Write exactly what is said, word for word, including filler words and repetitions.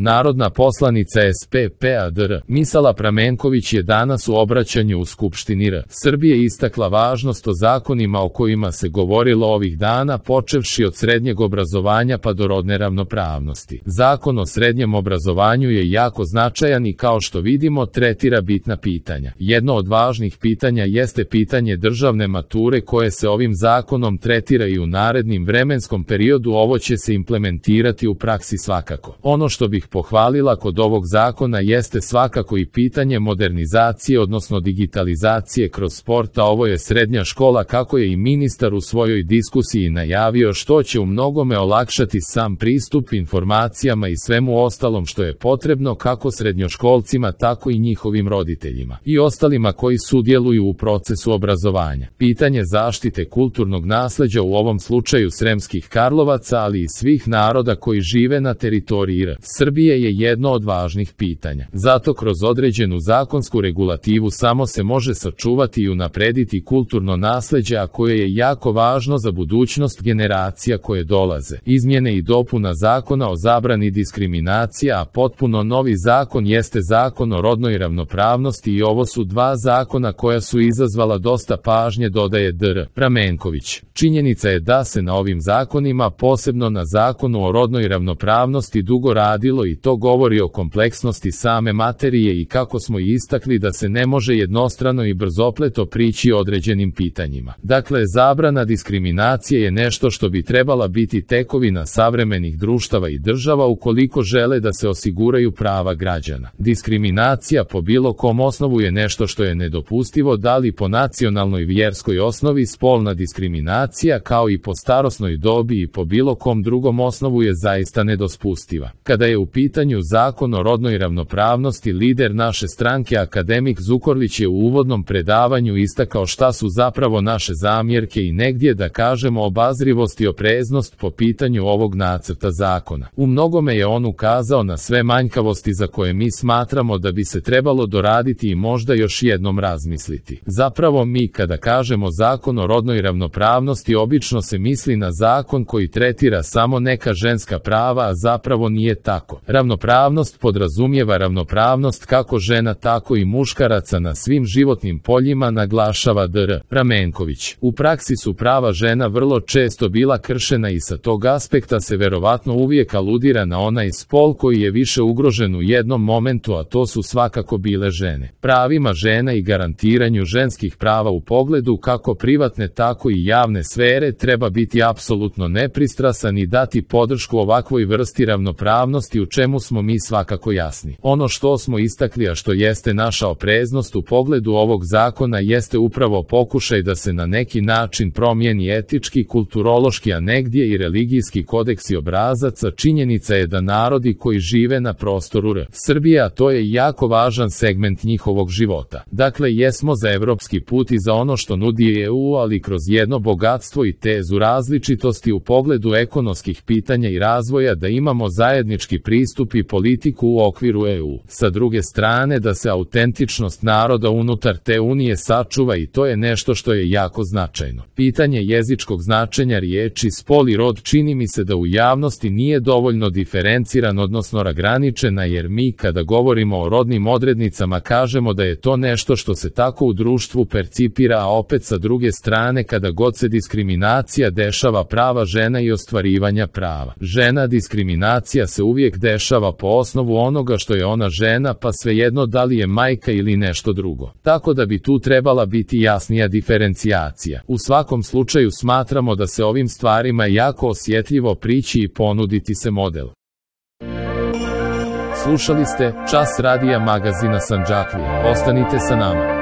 Narodna poslanica S P P-a dr. Misala Pramenković je danas u obraćanju u Skupštini R. Srbije istakla važnost o zakonima o kojima se govorilo ovih dana, počevši od srednjeg obrazovanja pa do rodne ravnopravnosti. Zakon o srednjem obrazovanju je jako značajan i kao što vidimo tretira bitna pitanja. Jedno od važnih pitanja jeste pitanje državne mature koje se ovim zakonom tretira i u narednim vremenskom periodu. Ovo će se implementirati u praksi svakako. Ono što bih pohvalila kod ovog zakona jeste svakako i pitanje modernizacije, odnosno digitalizacije kroz sport, a ovo je srednja škola, kako je i ministar u svojoj diskusiji najavio, što će u mnogome olakšati sam pristup informacijama i svemu ostalom što je potrebno kako srednjoškolcima, tako i njihovim roditeljima i ostalima koji sudjeluju u procesu obrazovanja. Pitanje zaštite kulturnog nasleđa, u ovom slučaju Sremskih Karlovaca, ali i svih naroda koji žive na teritoriji R. Srbije, je jedno od važnih pitanja. Zato kroz određenu zakonsku regulativu samo se može sačuvati i unaprediti kulturno nasleđe, a koje je jako važno za budućnost generacija koje dolaze. Izmjene i dopuna Zakona o zabrani diskriminacija, a potpuno novi zakon jeste Zakon o rodnoj ravnopravnosti, i ovo su dva zakona koja su izazvala dosta pažnje, dodaje dr. Pramenković. Činjenica je da se na ovim zakonima, posebno na Zakonu o rodnoj ravnopravnosti, dugo radilo i to govori o kompleksnosti same materije i kako smo istakli da se ne može jednostrano i brzopleto prići određenim pitanjima. Dakle, zabrana diskriminacije je nešto što bi trebala biti tekovina savremenih društava i država ukoliko žele da se osiguraju prava građana. Diskriminacija po bilo kom osnovu je nešto što je nedopustivo, da li po nacionalnoj, vjerskoj osnovi. Spolna diskriminacija, kao i po starosnoj dobi i po bilo kom drugom osnovu, je zaista nedopustiva. Kada je u pitanju Zakon o rodnoj ravnopravnosti, lider naše stranke akademik Zukorlić je u uvodnom predavanju istakao šta su zapravo naše zamjerke i negdje, da kažemo, obazrivost i opreznost po pitanju ovog nacrta zakona. U mnogome je on ukazao na sve manjkavosti za koje mi smatramo da bi se trebalo doraditi i možda još jednom razmisliti. Zapravo, mi kada kažemo Zakon o rodnoj ravnopravnosti, obično se misli na zakon koji tretira samo neka ženska prava, a zapravo nije tako. Ravnopravnost podrazumijeva ravnopravnost kako žena, tako i muškaraca na svim životnim poljima, naglašava dr. Pramenković. U praksi su prava žena vrlo često bila kršena i sa tog aspekta se verovatno uvijek aludira na onaj spol koji je više ugrožen u jednom momentu, a to su svakako bile žene. Pravima žena i garantiranju ženskih prava u pogledu kako privatne, tako i javne sfere treba biti apsolutno nepristrasan i dati podršku ovakvoj vrsti ravnopravnosti, u čemu smo mi svakako jasni. Ono što smo istakli, a što jeste naša opreznost u pogledu ovog zakona, jeste upravo pokušaj da se na neki način promijeni etički, kulturološki, a negdje i religijski kodeks i obrazaca. Činjenica je da narodi koji žive na prostoru R. Srbije, a to je jako važan segment njihovog života. Dakle, jesmo za evropski put i za ono što nudi E U, ali kroz jedno bogatstvo i tezu različitosti u pogledu ekonomskih pitanja i razvoja, da imamo zajednički pristup i politiku u okviru E U. Sa druge strane, da se autentičnost naroda unutar te unije sačuva, i to je nešto što je jako značajno. Pitanje jezičkog značenja riječi spol i rod čini mi se da u javnosti nije dovoljno diferenciran, odnosno razgraničena, jer mi kada govorimo o rodnim odrednicama kažemo da je to nešto što se tako u društvu percipira, a opet sa druge strane kada god se diskriminacija dešava prava žena i ostvarivanja prava žena, diskriminacija se uvijek dešava po osnovu onoga što je ona žena, pa svejedno da li je majka ili nešto drugo. Tako da bi tu trebala biti jasnija diferencijacija. U svakom slučaju smatramo da se ovim stvarima jako osjetljivo prići i ponuditi se model. Slušali ste Čas radija magazina Sandžaklija. Ostanite sa nama.